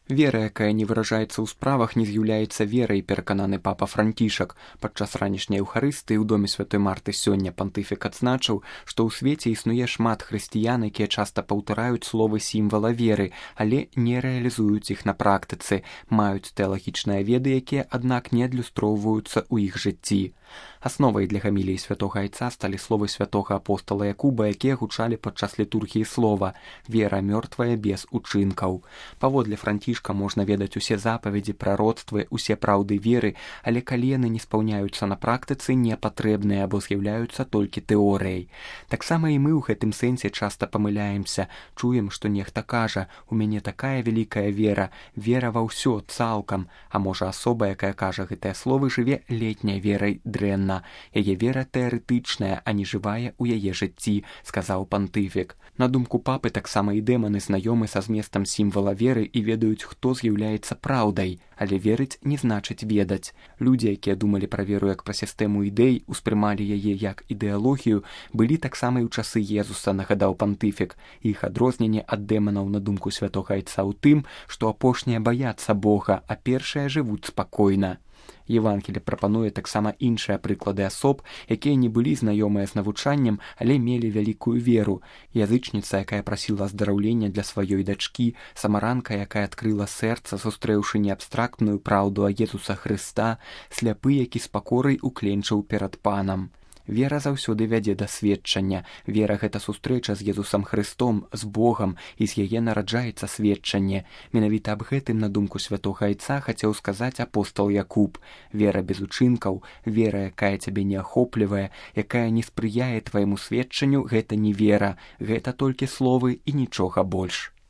Вера, якая не выражаецца ў справах, не з'яўляецца верай, перакананы папа Францішак. Падчас ранішняй эўхарыстыі ў доме святой Марты сёння пантыфік адзначыў, што ў свеце існуе шмат хрысціян, якія часта паўтараюць словы сімвала веры, але не рэалізуюць іх на практыцы, маюць тэалагічныя веды, якія, аднак, не адлюстроўваюцца ў іх жыцці. Асновай для гаміліі святога айца сталі словы святога апостала Якуба, якія гучалі падчас літургіі слова «Вера мёртвая без учынкаў». Паводле Францішка можна ведаць усе запаведзі, прароцтвы, усе праўды веры, але калі яны не спаўняюцца на практыцы, не патрэбныя або з'яўляюцца толькі тэорыяй. Таксама і мы ў гэтым сэнсе часта памыляемся, чуем, што нехта кажа «У мяне такая вялікая вера, вера ва ўсё цалкам», а можа асоба, якая кажа гэтыя словы, жыве летняй верай дрэнна. Яе вера тэарэтычная, а не жывая ў яе жыцці, сказаў пантыфік. На думку папы, таксама і дэманы знаёмы са зместам сімвала веры і ведаюць, хто з'яўляецца праўдай, але верыць не значыць ведаць. Людзі, якія думалі пра веру як пра сістэму ідэй, успрымалі яе як ідэалогію, былі таксама і ў часы Езуса, нагадаў пантыфік. Іх адрозненне ад дэманаў, на думку святога айца, ў тым, што апошнія баяцца Бога, а першыя жывуць спакойна. Евангелле прапануе таксама іншыя прыклады асоб, якія не былі знаёмыя з навучаннем, але мелі вялікую веру. Язычніца, якая прасіла аздараўлення для сваёй дачкі, самаранка, якая адкрыла сэрца, сустрэўшы не абстрактную праўду а Езуса Хрыста, сляпы, які з пакорай укленчыў перад панам. Вера заўсёды вядзе да сведчання. Вера – гэта сустрэча з Езусам Хрыстом, з Богам, і з яе нараджаецца сведчанне. Менавіта аб гэтым, на думку святога айца, хацеў сказаць апостал Якуб. Вера без учынкаў, вера, якая цябе не ахоплівае, якая не спрыяе твайму сведчанню, гэта не вера, гэта толькі словы і нічога больш.